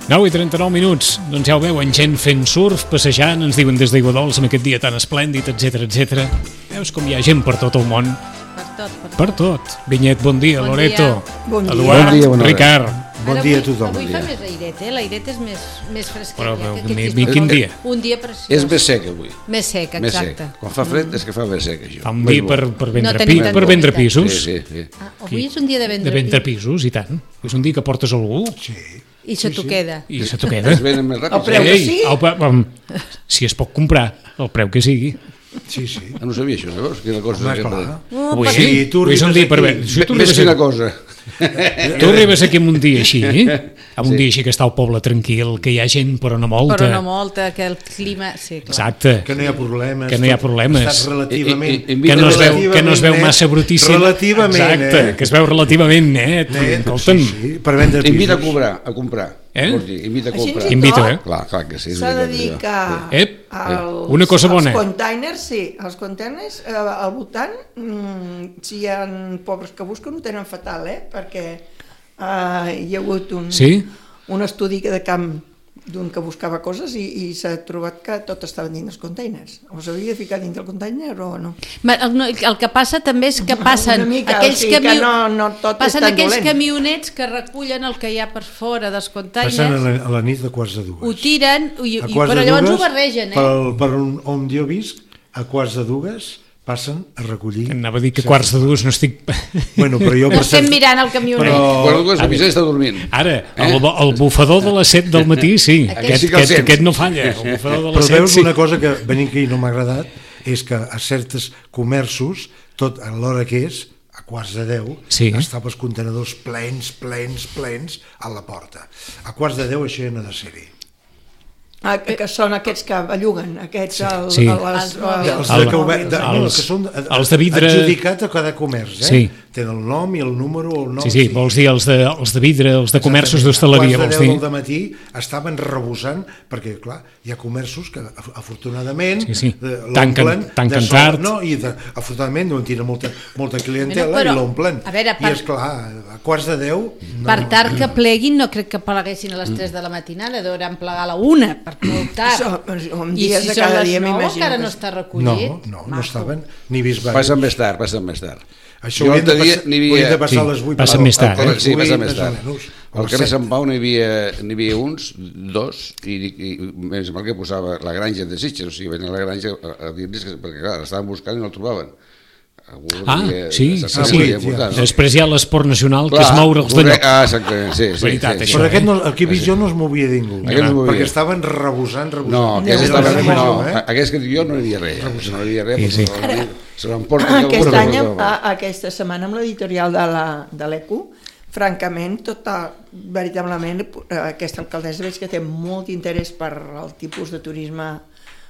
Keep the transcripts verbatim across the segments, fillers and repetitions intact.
nou i trenta-nou minuts, doncs ja ho veuen, gent fent surf, passejant, ens diuen des d'Aiguadols amb aquest dia tan esplèndid, etcètera, etcètera. Veus com hi ha gent per tot el món. Per tot, per tot. Per tot. Vinyet, bon dia, Bon Loreto, dia. Eduard, Bon dia, bona hora. Ricard. Bon dia a tothom. Avui bon fa dia. més airet, eh? L'airet és més, més fresquet. Però, ja, però, que aquest mi- és mi- molt- quin dia? Un dia preciós. És més sec avui. Més sec, Més sec. exacte. Quan fa fred és que fa més sec, això. Fa un Més dia bo. per, per, vendre, No tenim pi, tant per vendre d'humitat. pisos. Sí, sí, sí. Ah, avui és un dia de vendre, De vendre pisos, i tant. És un dia que portes algú i se t'ho queda. i se t'ho queda. Es venen més ràpid. El preu que Ei, sigui. au, pa- pam, si es pot comprar, el preu que sigui. Sí, sí. Ah, no sabia això, llavors? Quina cosa. Home, que- clar. No, Avui, per- Sí, tu avui és un arribes dia per aquí. veure. Si tu Més arribes que una aquí- cosa. Tu arribes aquí amb un dia així, eh? amb un dia així que està el poble tranquil, que hi ha gent però no molta. Però no molta, que el clima... Sí, clar. Exacte. Que no hi ha problemes. Que no hi ha tot problemes. Estàs relativament... I- i- i- Que no es veu, relativament que no es veu net, massa brutíssim. Relativament, Exacte, eh? que es veu relativament net. Net, Escolta'm. sí, sí, per vendre pisos. Invita a cobrar, a comprar. Eh? Vols dir, invita a Així comprar. ens Invito, tot eh? Clar, clar que sí. és S'ha de veritat, dir això. que Ep, els, una cosa bona. els containers, sí, els containers eh, al voltant, mm, si hi ha pobres que busquen, ho tenen fatal, eh? Perquè eh, hi ha hagut un, Sí? un estudi de camp d'un que buscava coses i, i s'ha trobat que tot estava dins dels containers. O s'havia de ficar dins del container o no? Ma- El, no, el que passa també és que passen Una mica, aquells, o sigui que camió- no- no tot és passen tan aquells dolent. camionets que recullen el que hi ha per fora dels containers, Passen a la, a la nit de quarts de dues. ho tiren, i, A i, quarts però de llavors ho dues, barregen, Per, eh? per on, on jo visc, a quarts de dues passen a recollir... Anava a dir que quarts de dues no estic... Bueno, però jo... No per estem cert- mirant el camionet. Però- Quan algú es avisa està dormint. Ara, el, el bufador de les set del matí, sí. Aquest Aquest, sí que el aquest, sents. aquest no falla. El bufador de Però les set, veus sí. una cosa que venint aquí no m'ha agradat, és que a certs comerços, tot a l'hora que és, a quarts de deu, Sí. estaven els contenedors plens, plens, plens a la porta. A quarts de deu això ja no ha de ser-hi. Ah, que, que són aquests que belluguen, aquests... El, Sí. el, Els el, mòbils. Els El- de, que, obe- de, no, els- que són els de vidre- adjudicat a cada comerç, eh? Sí. Tenen el nom i el número, el nom... Sí, sí, vols dir els de, els de vidre, els de comerços d'hostaleria, A vols quarts de dir? deu del matí estaven rebosant, perquè, clar, hi ha comerços que, af- afortunadament, Sí, sí. eh, Tanquen- l'omplen tanquen de sol- tard. No, i de, afortunadament no en tenen molta, molta clientela Bueno, però, i l'omplen. a veure, per- I, esclar, a quarts de deu... No, Per tard que pleguin, no crec que pleguessin a les tres de la matinada, deuen plegar a la una, per molt tard. Això, amb I dies si de són cada les dia nou, m'imagino encara que no sí. està no, recollit. no, no Maco. estaven ni bisbats. Passen més tard, passen més tard. Això Jo haurien de, l'altre dia passar, n'hi havia- haurien de passar Sí, a les vuit. passa per- més tard, a eh? les Sí, passa vuit, més més o tard. menys. Al O carrer set. Sant Pau n'hi havia, n'hi havia uns, dos, i, i més mal que posava la granja de Sitges, o sigui, venen a la granja a, a dir-los que, perquè clar, l'estaven buscant i no el trobaven. Algú Ah, devia- sí, sí, exactament, sí. devia portar, no? Després hi ha l'esport nacional, que és Clar, moure'ls de correcte. lloc. Ah, exactament, sí, sí. Veritat, sí, això, Però sí. aquest no, aquí a Visió no es movia ningú, Aquest no es movia. perquè estaven rebosant, rebosant. No, aquests Era estaven... la No, major, eh? aquests que dic jo no hi havia res. No hi havia res, Sí, sí. perquè se l'emporten... Aquest cada any, un, a, aquesta setmana, amb l'editorial de la de l'E Q, francament, tota, veritablement, eh, aquesta alcaldessa veig que té molt interès per el tipus de turisme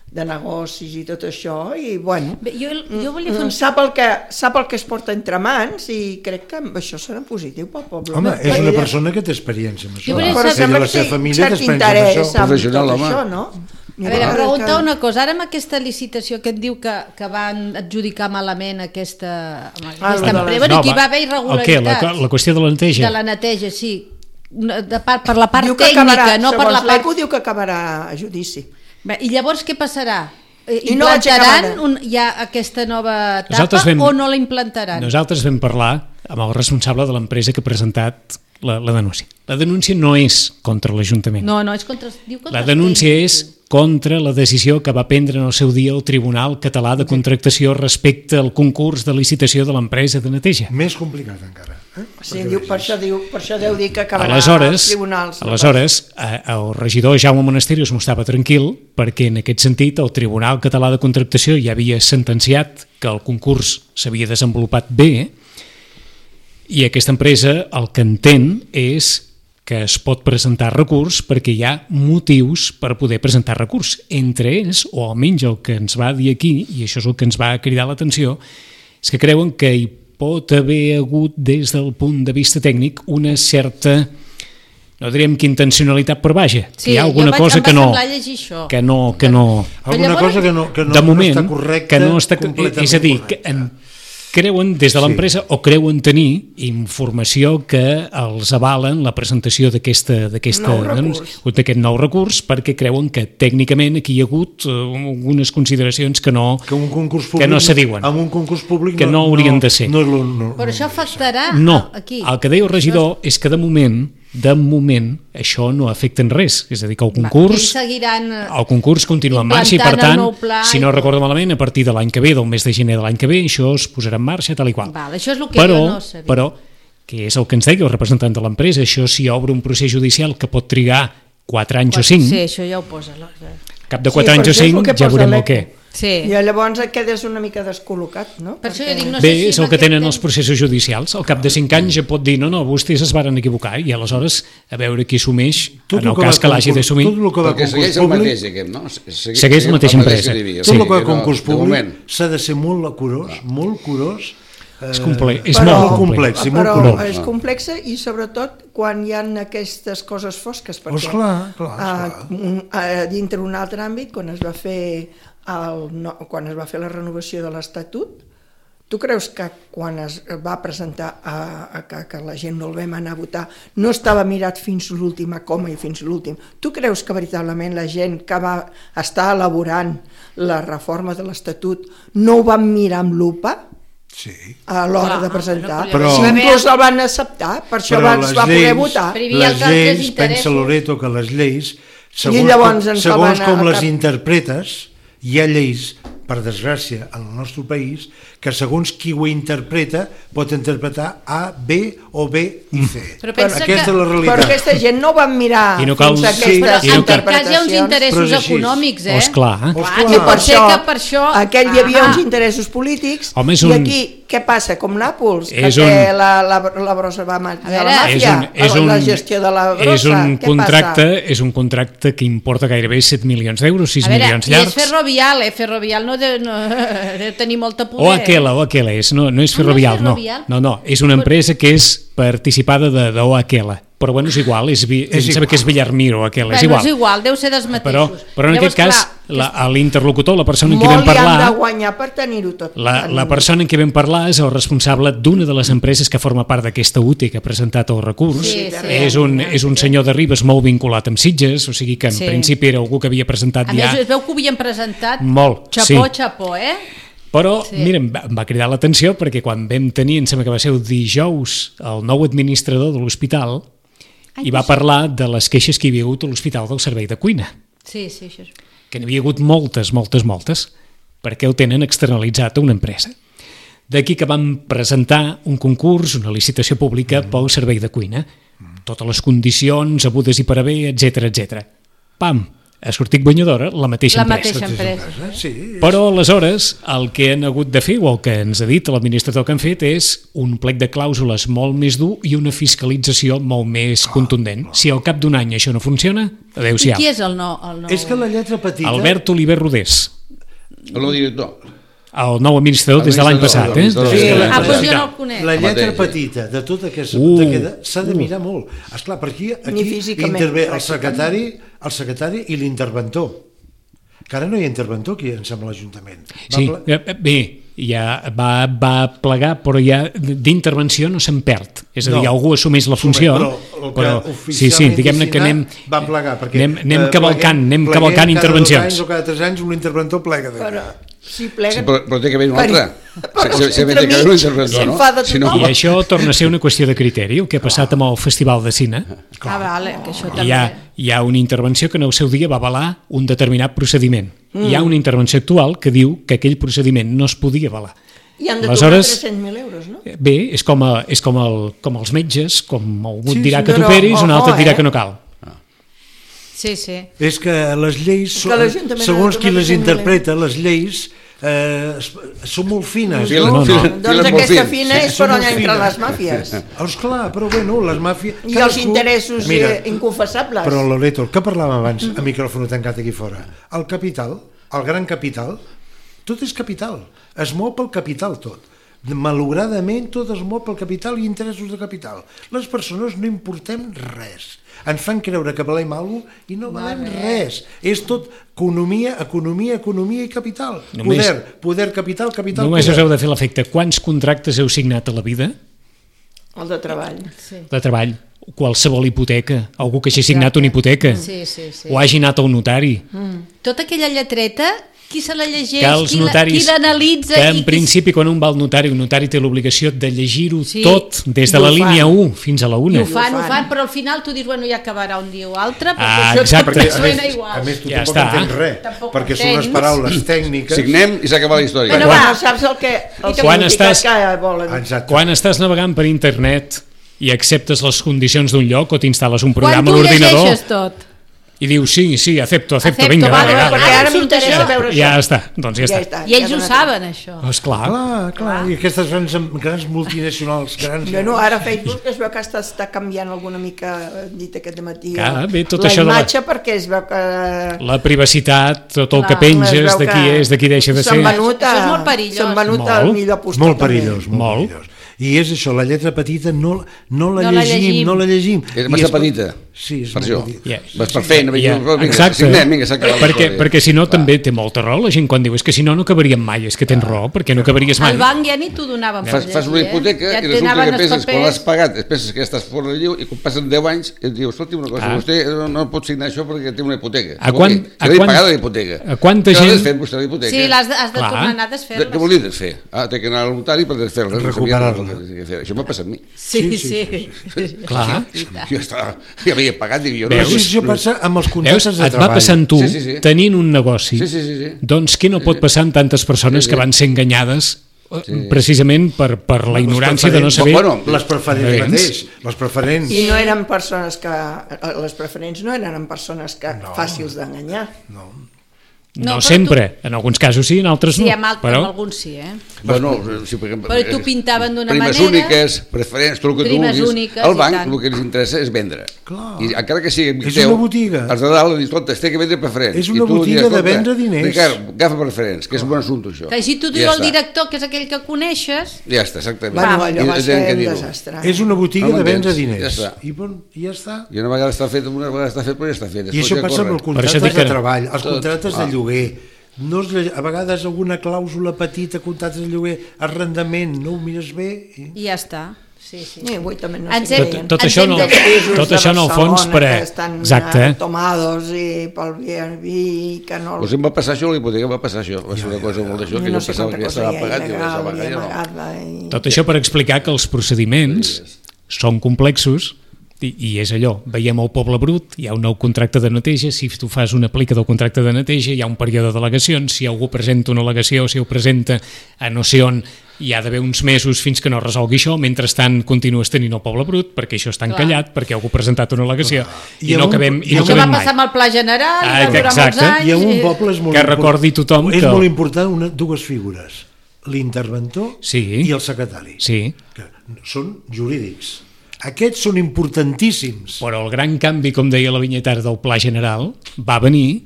de negocis i tot això, i bueno, Bé, jo, jo volia fer un... sap el, que, sap el que es porta entre mans i crec que amb això serà positiu pel poble. Home, és Perquè una ella- persona que té experiència amb això. Jo volia Però saber- Ella sembla i la que seva té família cert té experiència interès amb això. amb Professional, tot home. això, no? A veure, pregunta una cosa, ara amb aquesta licitació que et diu que, que van adjudicar malament aquesta, amb aquesta Ah, lo de les- empresa, bueno, No, aquí va, va haver el què? La, irregularitats la qüestió de la neteja? de la neteja, sí, de part, per la part Diu que tècnica, acabarà, no per la segons l'E Q part... diu que acabarà a judici. Bé, i llavors què passarà? Eh, I no Implantaran l'aixecaran. un, ja aquesta nova etapa Nosaltres vam- o no la implantaran? Nosaltres vam parlar amb el responsable de l'empresa que ha presentat la, la denúncia. La denúncia no és contra l'Ajuntament. No, no, és contra... Diu contra La els denúncia és tècnics. contra la decisió que va prendre en el seu dia el Tribunal Català de Contractació respecte al concurs de licitació de l'empresa de neteja. Més complicat encara. Eh? Sí, diu, per, això diu, per això deu dir que acabarà Aleshores, als tribunals. aleshores eh, el regidor Jaume Monasterio es mostrava tranquil perquè en aquest sentit el Tribunal Català de Contractació ja havia sentenciat que el concurs s'havia desenvolupat bé i aquesta empresa el que entén és que es pot presentar recurs perquè hi ha motius per poder presentar recurs. Entre ells, o almenys el que ens va dir aquí, i això és el que ens va cridar l'atenció, és que creuen que hi pot haver hagut des del punt de vista tècnic una certa, no diríem que intencionalitat, però vaja, Sí, que hi ha alguna jo vaig, cosa em va que no, semblar llegir això. que no, que no, Alguna llavors- cosa que no, que no, de moment, no està correcta, que no està, completament és a dir, que correcta. en, creuen des de l'empresa sí. o creuen tenir informació que els avalen la presentació d'aquesta Nou recurs. doncs, d'aquest nou recurs, perquè creuen que tècnicament aquí hi ha hagut uh, algunes consideracions que no, que, un concurs públic, que no s'adiuen, amb un concurs públic que no, no haurien de ser. No, no, no, Però això afectarà no, aquí. el que deia el regidor és que de moment de moment això no afecta en res, és a dir, que el concurs seguiran el concurs continua en marxa i per tant, si no recordo malament, a partir de l'any que ve, del mes de gener de l'any que ve, això es posarà en marxa tal i qual. Val, això és el que però, jo no sabia. Però, que és el que ens deia el representant de l'empresa, això si obre un procés judicial que pot trigar quatre anys o cinc, sí, això ja ho posa. cap de quatre Sí, anys o però això és el cinc que ja posa veurem el l'E C U. què. Sí. I llavors et quedes una mica descol·locat, no? Per això jo dic, no Bé, sé si és el amb que aquest tenen temps- els processos judicials. Al cap de cinc anys ja pot dir, no, no, vostès es varen equivocar, i aleshores a veure qui assumeix, Tot en el el que cas va que l'hagi concurs- d'assumir. tot el que va Perquè concurs segueix el públic- mateix, aquest, no? Segui- Segueix la mateixa empresa. que hi havia. Tot el que va Sí, a concurs de moment. públic s'ha de ser molt curós, molt curós. És complex, és Però- molt complex, sí, molt Però complex. és complexa i sobretot quan hi ha aquestes coses fosques, perquè Oh, esclar, clar, ah, esclar. un- ah, dintre un altre àmbit, quan es va fer el, no, quan es va fer la renovació de l'Estatut, tu creus que quan es va presentar a, a que, que la gent no el vam anar a votar no estava mirat fins l'última coma i fins l'últim? Tu creus que veritablement la gent que va estar elaborant la reforma de l'Estatut no ho van mirar amb lupa Sí. a l'hora Clar, de presentar? però- Si inclús el van acceptar, per això va, es va poder votar. Però hi havia les altres lleis, interessos. pensa Loreto que les lleis, segons, llavors com, ens segons van a- com a les cap- interpretes, hi ha lleis, per desgràcia, en el nostre país, que segons qui ho interpreta pot interpretar A, B o B i C. Però pensa aquesta que- és la Però realitat. aquesta gent no van mirar I no cal- fins a sí, aquestes i no En cal- aquest cas hi ha uns interpretacions. interessos Però és així. econòmics, eh? Oh, esclar. Clar, Esclar. que I pot ser que per això... aquell hi havia Ah. uns interessos polítics. Home, és I un- aquí què passa? Com Nàpols, que És té un- la, la, la brossa va ma- de veure, la És màfia, un, és un, la gestió de la brossa. és un què contracte, és un contracte que importa gairebé set milions d'euros, sis A veure, milions i és llargs. ferrovial, eh? Ferrovial no deu, no, deu tenir molta poder. O aquela, o aquela, és, no, no és Ah, no és ferrovial, no. Ferrovial? No, no, és una empresa que és participada de, de O aquela. Però bueno, és igual, és, vi- em sembla que és Villarmiro, aquela, és Bueno, igual. és igual, deu ser dels Però, mateixos. però en Llavors, aquest cas, clar, la- l'interlocutor, la persona amb qui Molt vam li han de parlar, guanyar per tenir-ho tot. la, la persona amb qui vam parlar és el responsable d'una de les empreses que forma part d'aquesta U T I que ha presentat el recurs. Sí, sí. És, un, és un senyor de Ribes molt vinculat amb Sitges, o sigui que en Sí. principi era algú que havia presentat A ja més, es veu que ho havien presentat molt. xapó, sí. xapó, eh? Però, Sí. sí. mira, em va, em va cridar l'atenció perquè quan vam tenir, em sembla que va ser el dijous, el nou administrador de l'hospital, i va parlar de les queixes que hi havia hagut a l'hospital del servei de cuina, Sí, sí, això és... que n'hi havia hagut moltes, moltes, moltes, perquè ho tenen externalitzat a una empresa. D'aquí que vam presentar un concurs, una licitació pública mm. pel servei de cuina, totes les condicions, abudes i per haver, etc etc. Pam! Ha sortit guanyadora la mateixa La empresa. mateixa empresa. Sí, Però aleshores el que han hagut de fer o el que ens ha dit l'administrador que han fet és un plec de clàusules molt més dur i una fiscalització molt més contundent. Si al cap d'un any això no funciona, I adeu-siau. qui és el nou? El nou? és que la lletra petita... Albert Oliver Rodés, El director. el nou administrador des de l'any passat. Eh? Administrador, Sí, administrador. Ah, doncs jo Ja. no el conec. La lletra mateix. petita de tot aquest Uh, de queda s'ha de mirar molt. Esclar, per aquí, Ni aquí físicament, intervé el pràcticament. secretari, el secretari i l'interventor. Que ara no hi ha interventor aquí, em sembla, a l'Ajuntament. Va Sí, pla- eh, bé, ja va, va plegar, però ja d'intervenció no se'n perd. És a dir, No. algú assumeix la funció, Però el que però sí, sí, oficialment diguem-ne que anem, va plegar, perquè anem, anem eh, cavalcant, anem pleguem cavalcant cada intervencions. dos anys o cada tres anys un interventor plega de Però, si plega... Sí, però, però té que haver un Per- altre. però Se, se, se, entre té que haver un mig interventor, no? s'enfada Si no, I això torna a ser una qüestió de criteri, el que ha passat amb el Festival de Cine. Ah, vale, que això també... Hi ha, hi ha una intervenció que en el seu dia va avalar un determinat procediment. Mm. Hi ha una intervenció actual que diu que aquell procediment no es podia avalar. I han de Aleshores- tornar tres-cents mil euros, no? Bé, és com, a, és com, el, com els metges, com algú Sí, et dirà sí, que però, t'operis, un ojo, altre et dirà eh? que no cal. Sí, sí. És que les lleis, que són, l'Ajuntament ha de segons qui donar les tres-cents mil interpreta, les lleis eh, es- són molt fines. Fila- no? no. fila- Doncs files molt aquesta fins. fina és Són per on molt entren fines. les màfies. Oh, esclar, però bueno, les màfies... I els cadascú- interessos Mira, eh, inconfessables. però Loreto, el que parlàvem abans, a micròfon tancat aquí fora, el capital, el gran capital, tot és capital, es mou pel capital tot. malauradament tot es mou pel capital i interessos de capital. Les persones no importem res. Ens fan creure que valem alguna cosa i no valem res. És tot economia, economia, economia i capital. Només, poder, poder, capital, capital, només poder. us heu de fer l'efecte. Quants contractes heu signat a la vida? El de treball. Sí. De treball. Qualsevol hipoteca. Algú que hagi signat una hipoteca. Sí, sí, sí. O hagi anat a un notari. Mm. Tota aquella lletreta, qui se la llegeix, Que els qui, la, notaris, qui l'analitza... que en i qui... principi quan un va al notari, un notari té l'obligació de llegir-ho Sí. tot, des de I la ho línia fan. u fins a la I una. ho fan, ho fan. fan, però al final tu dius, bueno, ja acabarà un dia o altre, perquè Ah, això exacte. tot A suena més, igual. a més tu Ja tampoc està. entens res, Tampoc perquè són unes entens. paraules tècniques. Signem i s'ha acabat la història. Bueno, Bueno, va. va. Saps el que, el Quan significat estàs- que volen. Exacte. Quan estàs navegant per internet i acceptes les condicions d'un lloc o t'instal·les un Quan programa a tu l'ordinador llegeixes tot. i dius sí, sí, acepto, acepto, Acepto, vinga, vale, vale, vale, vale. Perquè ara surt m'interessa això. veure això. Ja està, doncs ja, Ja està. està. I ells ja ho no- saben, això. Oh, esclar. Clar, clar, i aquestes grans, grans multinacionals, grans... Bueno, ara Facebook es veu que està, està canviant alguna mica, hem dit aquest matí, Clar, bé, tot la això de la- imatge, perquè es veu que... La privacitat, tot el que Clar, es penges, veu de qui que és, de qui deixa de ser. S'han venut, a, Això és molt perillós. s'han venut Molt. al millor postor. Molt també. perillós, molt, Molt. perillós. I és això, la lletra petita no, no, la, No la llegim, llegim. no la llegim. És I massa petita. Sí, és Per molt això. petita. Ja. Vas per feina, Ja, vinga, vinga, exacte. signem, vinga, s'ha acabat la perquè, història. perquè si no també té molta raó la gent quan diu és que si no no acabaríem mai, és que tens raó, perquè no acabaries mai. Al banc ja ni t'ho donaven per Fas, llegir, fas una hipoteca eh? Ja i et resulta donaven que els penses, quan papers. l'has pagat, penses que ja estàs fora de lliu i quan passen deu anys et dius, escolti una cosa, Ah. vostè no, no pot signar això perquè té una hipoteca. A Què vol quan- dir? a Si l'he quan- pagat la hipoteca. a quanta Què l'ha gent- desfet vostè la hipoteca? Sí, l'has de, has de Clar. tornar a anar a De, desfer-la. què vol dir desfer? Ah, té que anar al notari per desfer-la. Recuperar-la. No sabia el que fer. Això m'ha passat a mi. Sí, sí. sí. Clar. Jo estava, ja havia pagat, dic jo. Veus? No, Això passa amb els Veus? contractes de Et va treball. passant tu, Sí, sí, sí. tenint un negoci, Sí, sí, sí, sí. doncs què no pot passar en tantes persones Sí, sí. que van ser enganyades eh, precisament per, per la Les ignorància de no preferents- saber... Bueno, Les preferents Preferents. mateix, les preferents... I no eren persones que... Les preferents no eren persones que No. fàcils d'enganyar. No. No, No, però sempre, en alguns casos sí, en altres Sí, no. amb, alt, però... amb alguns sí, eh? Bueno, sí, perquè, Però t'ho pintaven d'una primes manera. úniques, preferents, tot el que tu Primes vulguis. úniques Al i banc tant. el que els interessa és vendre. Clar. I encara que sigui amic És teu, una botiga. els de dalt li dius, escolta, es té que vendre preferents. És I una tu li botiga dius, de escolta, vendre diners. Ricard, agafa preferents, que és un bon assumpte això. Que així t'ho I diu ja el està. director, que és aquell que coneixes. Ja està, exactament. Bueno, I allò va tenen ser que un dir-ho. desastre. És una botiga No de vendre m'entens? diners. Ja està. I, bon, I ja està. I una vegada està fet, una vegada està fet, però ja està fet. I Després això ja passa amb corre. els Per contractes això dic de que- treball, els Tot. contractes Ah. de lloguer. No es, lle- a vegades alguna clàusula petita, contractes de lloguer, arrendament, no ho mires bé. I... I ja està. Sí, sí. I avui també no Ens sé hem- què Tot, deien. tot Ens això hem no, de- Pisos tot de això en el fons Barcelona per... que estan Exacte. eh, tomados i pel Airbnb i que no... Doncs em va passar això, a la hipoteca em va passar això. Va ser una cosa molt d'això, que no jo sé pensava quanta que ja cosa estava hi ha pagat i il·legal pensava i que ja no. amagada i... Tot això per explicar que els procediments són complexos i, i és allò, veiem el poble brut, hi ha un nou contracte de neteja, si tu fas una aplica del contracte de neteja hi ha un període d'al·legacions, si algú presenta una al·legació, si ho presenta a no sé on, hi ha d'haver uns mesos fins que no resolgui això, mentrestant continues tenint el poble brut, perquè això està Clar. encallat, perquè algú ha presentat una al·legació i, I no amb un- acabem, i i no amb Això va acabem passar mai. amb el Pla General, Ah, i va durar molts exacte. anys. I en un i- poble és molt Que import- recordi tothom és que- molt important una, dues figures, l'interventor Sí. i el secretari, Sí, que són jurídics. Aquests són importantíssims. però el gran canvi, com deia la vinyetara del Pla General, va venir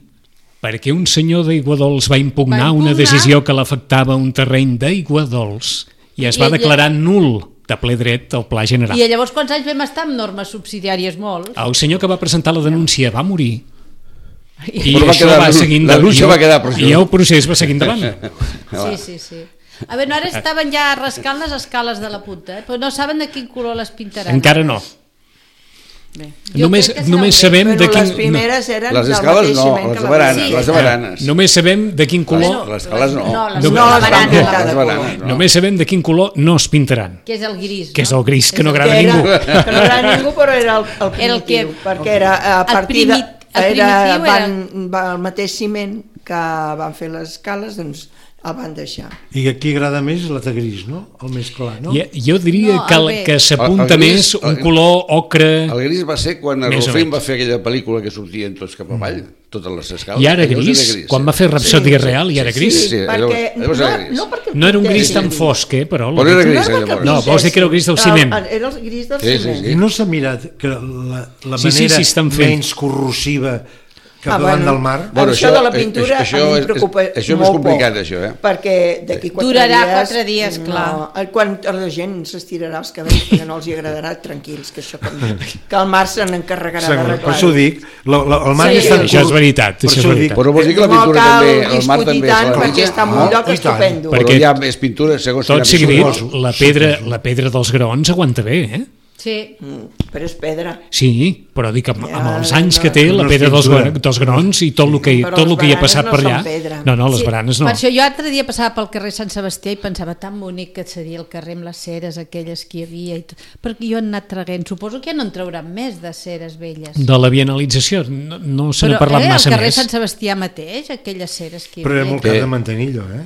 perquè un senyor d'Aiguadols va impugnar, Va impugnar. una decisió que l'afectava un terreny d'Aiguadols i es I va ella- declarar nul de ple dret al Pla General. I llavors quants anys vam estar amb normes subsidiàries? Molt. El senyor que va presentar la denúncia va morir i Però va això quedar- va seguir la endavant. denúncia va quedar per això. I el procés va seguir endavant. Sí, sí, sí. A veure, ara estaven ja rascant les escales de la punta, eh? Però no saben de quin color les pintaran. Encara no. Bé. Jo Només, crec que serà només bé. sabem Però de quin... les primeres eren Les del escales mateix no, ciment les que de la baranes, base. les de baranes. Només sabem de quin color... Les, les escales no. No, les, No, no, la les barana, van pintar les de baranes, color. no. Només sabem de quin color no es pintaran, que és el gris, que és no? el gris, que no el agrada a Que era, ningú. que no era ningú, però era el, el primitiu, El que- perquè era a El partir de... primi- el Era, primitiu van, va, el mateix ciment que van fer les escales, doncs el van deixar. I aquí agrada més la de gris, no? El més clar, no? Jo, jo diria No, que, el el, bé. que s'apunta El- el més gris- un el- color ocre... El gris va ser quan el Més o Rolfing menys. va fer aquella pel·lícula que sortien tots cap avall, totes les escales. I ara Llavors gris, era quan va fer Rapsòdia Real i era gris. Sí, sí, perquè, llavors- llavors no, era gris. no, perquè No era un gris pintessin tan fosc, eh, però... Però era gris, No, perquè llavors. No, vols dir que era el gris del pintessin. ciment. El- Era el gris del Sí, sí, ciment. sí. I no s'ha mirat que la, la Sí, sí, manera sí, estan fent. menys corrosiva cap Ah, davant bueno, del mar. Bueno, això, això- de la pintura això a mi és- em preocupa això és més molt complicat, poc, això, eh? perquè d'aquí quatre Durarà dies... quatre dies, clar. No, quan la gent s'estirarà els cabells perquè no els hi agradarà, tranquils, que això com, que el mar se n'encarregarà Segur, d'arreglar. per això ho dic, la, la, el mar Sí, ja està... això és veritat, per això és això ho dic. veritat. Però vols dir que la No pintura cal també, el mar discutir també tant se la perquè està en un No, lloc i tant. estupendo. Perquè- Però hi ha més pintura, segons Tot quina sigui dit, pintura. la pedra, la pedra dels graons aguanta bé, eh? Sí. Mm, però és pedra. Sí, però dic, amb, amb els Ja, anys no, que té la no és pedra dels, pintura. gra- dels graons i tot el que, Però tot el les que hi ha baranes passat no per són allà... pedra. No, no, les Sí, baranes no. Per això jo altre dia passava pel carrer Sant Sebastià i pensava tan bonic que seria el carrer amb les ceres aquelles que hi havia i tot. Perquè jo he anat traguent, suposo que ja no en trauran més de ceres velles. De la bienalització no, no se n'ha Però parlat eh, massa el carrer més. Sant Sebastià mateix, aquelles ceres que hi Però era havia. molt car Què? de mantenir-lo, eh?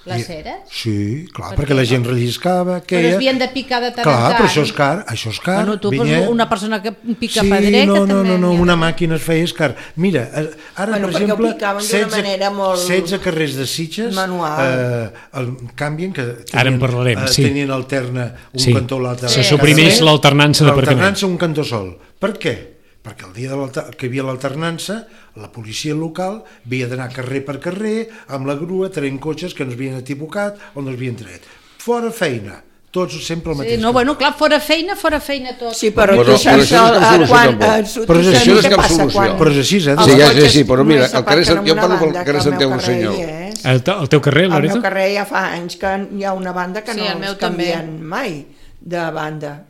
Les I- ceres? Sí, clar, Per perquè què la no? gent relliscava, Però queia... es havien de picar de tant Clar, en tant. però això és car, això és car. Bueno, tu, vinyet. pues, una persona que pica sí, pedrer, no, que no, també no, no, n'hi ha. una màquina es feia és car. Mira, eh, ara, Bueno, per perquè ho exemple, picaven d'una manera molt setze carrers de Sitges manual. eh, el, canvien, que tenien, Ara en parlarem, eh, sí. tenien alterna un Sí. cantó o l'altre. Se suprimeix carrer, l'alternança d'aparcament. L'alternança un cantó sol. Per què? Perquè el dia de l'alter- que hi havia l'alternança, la policia local havia d'anar carrer per carrer amb la grua traient cotxes que no havien equivocat o no havien tret. Fora feina, tots sempre el Sí, mateix. no, bueno, clar, fora feina, fora feina tot. Sí, però, Però- tu saps però això no és cap el- solució, quan, tampoc. eh, Però tu això saps no és què cap passa solució. quan Però és així, eh? els Sí, ja, cotxes sí, sí, però mira, només el carrer s'aparquen Sant- jo en una parlo pel banda, carrer que el Sant meu Eugenio carrer Senyor. hi és. El, te- el teu carrer, Al meu Loreto? carrer ja fa anys que hi ha una banda que Sí, no el meu els també. canvien mai de banda.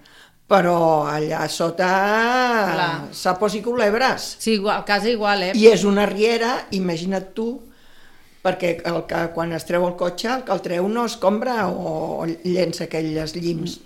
Però allà sota Clar. sapos i culebres. Sí, igual, a casa igual, eh? I és una riera, imagina't tu, perquè el que, quan es treu el cotxe, el que el treu no es compra o llença aquelles llims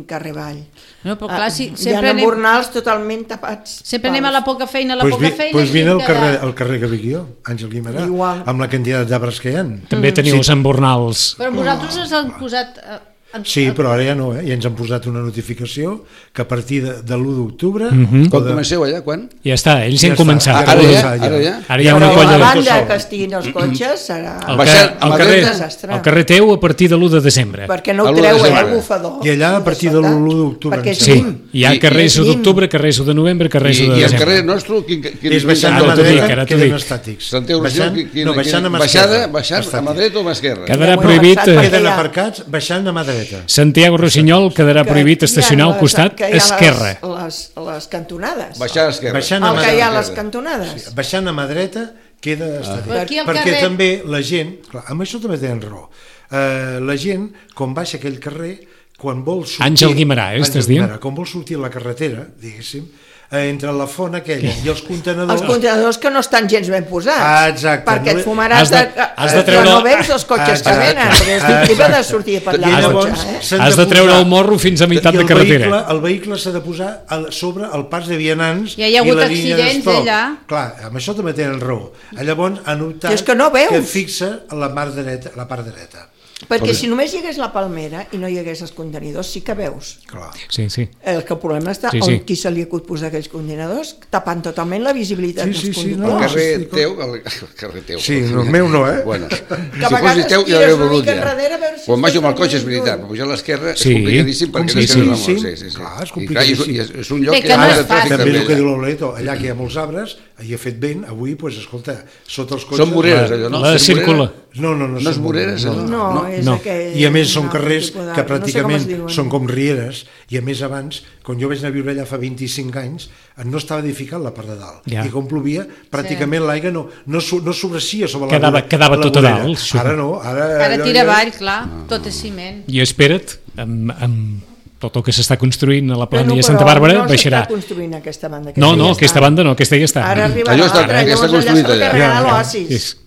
carrer avall. No, però clar, si, Hi ha sempre anem, embornals totalment tapats. sempre anem a la poca feina, a la Pues, poca vi, feina... pues i vine al cada- carrer, al carrer que vic jo, Àngel Guimerà, Igual. amb la quantitat d'arbres que hi ha. També teniu els embornals. Però vosaltres us han posat... eh, en- Sí, però ara ja no, eh? Ja ens han posat una notificació que a partir de, de l'u d'octubre... Mhm. Quan comenceu allà, quan? Ja està, ells Ja han està. començat. Ah, Ja ara ja, ja? ja. Ara ja? Ara hi ha Però una a colla la de... banda sol. que estiguin els cotxes serà... El, Baixant car a el, Madrid. carrer, Desastre. el carrer teu a partir de l'u de desembre. Perquè no A ho l'u de treuen, desembre. el bufador. I allà, a partir de l'u d'octubre, Perquè em és Sí, sembla. llim. hi ha I- carrers i- u d'octubre, carrers u de novembre, I, carrers u de i el desembre. carrer nostre... Quin, quin, És baixant Ah, a t'ho mà dic, dreta, ara t'ho queden dic. estàtics. Sant Eugenio, Baixant, quin, quin, no, baixant a mà baixada, esquerra. baixant a Estàtics. mà dreta o a mà esquerra? Quedarà Ja ho he prohibit... avançat eh, perquè Queden ja- aparcats baixant a mà dreta. Santiago Rossinyol quedarà Que prohibit hi ha estacionar al les- costat que hi ha les- esquerre. Les, les cantonades. Baixar a l'esquerra. Baixant a El mà que hi ha a dreta. les cantonades. Baixant a mà dreta queda estàtic. Però aquí al Perquè carrer- també la gent, clar, amb això també tenen raó, eh, la gent, quan baixa aquell carrer, quan vol sortir... Àngel Guimerà, eh, estàs Àngel dient? Guimerà, quan vol sortir a la carretera, diguéssim, eh, entre la font aquella i els contenedors... Els contenidors que no estan gens ben posats. Ah, exacte. Perquè No- et fumaràs Has de- de, has de de treure- no veus els cotxes que Exacte. venen, perquè és difícil de sortir per I allà amb llavors cotxe, eh? s'han Has de treure posar- el morro fins a meitat i de el carretera. Vehicle, el vehicle s'ha de posar a sobre el pas de vianants Ja hi ha i hagut la línia accidents d'estop. allà. Clar, amb això també tenen raó. Llavors han optat I és que no veus. que fixa la, mar dreta, la part dreta. Perquè si només hi hagués la palmera i no hi hagués els contenidors, sí que veus. Clar. Sí, sí. El que el problema està Sí, sí, sí. on qui se li acut posar aquells contenidors, tapant totalment la visibilitat Sí, dels sí, sí, El no, conductors. carrer sí, teu, el, el carrer teu. Sí, no, el meu no, eh? Bueno, a si vegades fos teu ja tires l'heu una begut mica ja. enrere a veure si Quan baixo amb el estàs cotxe és caminant veritat, lluny. però pujar a l'esquerra Sí, és complicadíssim perquè sí, l'esquerra sí, és molt. sí. Sí, sí, sí. Clar, és I, complicadíssim. i, és, és un lloc Bé, que, que no has és de tràfic fàcil. També el que també. diu l'Oleto, allà que hi ha molts arbres, hi ha fet vent, avui, pues, escolta, sota els cotxes... Són voreres, allò, no? La Són circula. voreres? No, no, no, No és són voreres, allò? No, No. és No. aquell... I a més són un altre carrers tipus d'arbre, que no sé com pràcticament es diuen. són com rieres, i a més abans, quan jo vaig anar a viure allà fa vint-i-cinc anys, no estava edificat la part de dalt. Ja. I com plovia, pràcticament l'aigua no, no, so- no sobracia sobre la Quedava- vorera- quedava la tot a vorera. dalt, això. Ara no, ara... Ara allò tira ja- avall, clar, tot és ciment. I espera't, amb, amb tot el que s'està construint a la Però plana no, de Santa però Bàrbara, no baixarà. s'està construint aquesta banda. No, no, ja aquesta està. banda no, aquesta ja està. Ara arribarà Allò està- l'altra, ja està llavors construït allà. allà. s'acarregarà Ja, ja. l'oasis. És,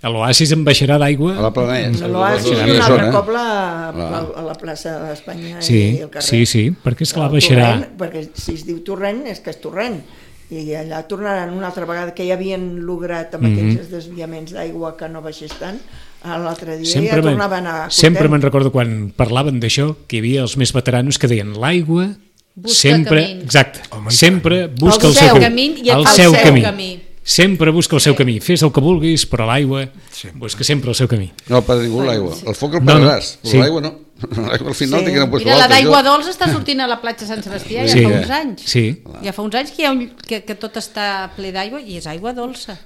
a l'oasis en baixarà d'aigua. A la planella. L'oasis Allò i un és altre zona. cop la, la, a la plaça d'Espanya Sí, i el carrer. sí, sí, perquè és clar, El baixarà... torrent, perquè si es diu torrent és que és torrent, i allà tornaran una altra vegada, que ja havien lograt amb Mhm. aquells desviaments d'aigua que no baixés tant, l'altre dia Sempre, ja me'n- tornaven a... sempre content. me'n recordo quan parlaven d'això, que hi havia els més veteranos que deien l'aigua Busca sempre, camins. exacte, Home, i sempre busca El el, seu seu camí i el el seu seu camí. camí. Sempre busca el seu camí. Fes el que vulguis, però l'aigua Sempre. busca sempre el seu camí. No, per ningú l'aigua. El foc el No, no, perdràs, però sí. l'aigua no. L'aigua al final Sí. té que anar a Mira, la d'aigua dolça està sortint a la platja Sant Sebastià ja Sí, fa eh? uns anys. Sí. Ja fa uns anys que, hi ha un, que, que tot està ple d'aigua i és aigua dolça.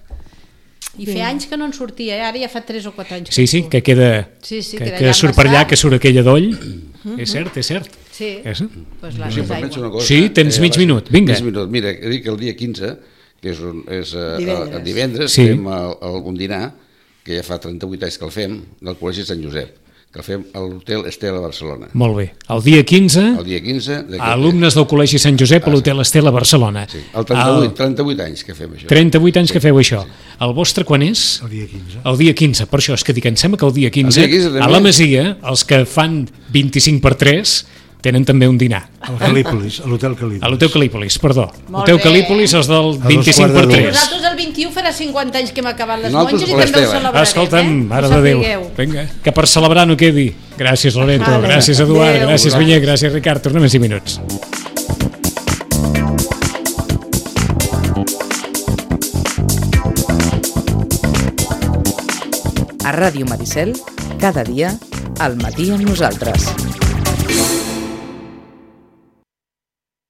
I fer anys que no en sortia, eh? Ara ja fa tres o quatre anys. Sí, sí, que queda, sí, sí, que, que que d'allà surt per allà, passar. que surt aquella doll. És cert, és cert. Sí, És... doncs l'any Sí, és però penso aigua. una cosa, Sí, tens mig abans- minut, vinga. Mig minut. Mira, he dit que el dia quinze, que és, un, és uh, Divendres. el divendres, Sí. fem el, el, un dinar, que ja fa trenta-vuit anys que el fem, del Col·legi Sant Josep, que el fem a l'Hotel Estela a Barcelona. Molt bé. El dia quinze, El dia quinze... d'aquest- alumnes del Col·legi Sant Josep a l'Hotel Estela a Barcelona. Sí, el trenta-vuit, trenta-vuit anys que fem això. trenta-vuit anys que feu això. El vostre quan és? El dia quinze. El dia quinze, per això és que dic, em sembla que el dia quinze, El dia quinze també. a la Masia, els que fan vint-i-cinc per tres tenen també un dinar. Al Calípolis, a l'Hotel Calípolis. A l'Hotel Calípolis, perdó. Molt Hotel bé. Calípolis, els del dos vint-i-cinc per quarts de tres. Nosaltres el vint-i-u farà cinquanta anys que hem acabat les Nosaltres monges i per també ho l'Estela. celebrarem, Escolta'm, eh? mare Ho de Déu. sapigueu. Vinga, que per celebrar no quedi. Gràcies, Loreto. Vale. Gràcies, Eduard. Adéu. Gràcies, Vinyer. Gràcies, Ricard. Tornem en cinc minuts. A Ràdio Maricel, cada dia, al matí amb nosaltres.